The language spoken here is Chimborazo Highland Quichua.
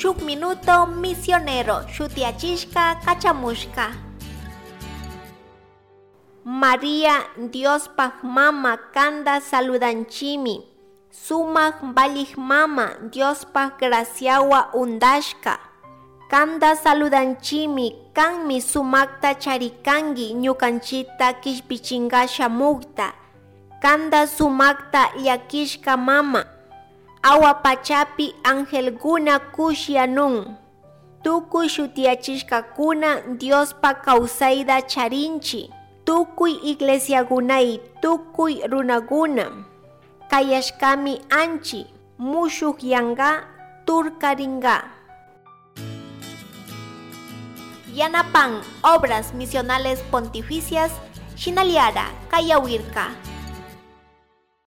Shuk Minuto Misionero shutiyachishka kachamushka. Maria Diospaj mama kanda saludanchimi. Sumak valij mama Diospaj graciawa undashka. Kanda saludanchimi kanmi sumakta charikangi ñukanchita kishpichinga shamukta. Kanda sumakta llakishka mama. Awa pachapi angelkuna kushiyanun. Tukuy shutiyachishkakuna Diospa kawsayta charinchi. Tukuy iglesiakunay tukuy runakuna. Kayashkami anchi mushukyanka turkarinka. Yanapan Obras Misionales Pontificias Shinaliara Kayawirka.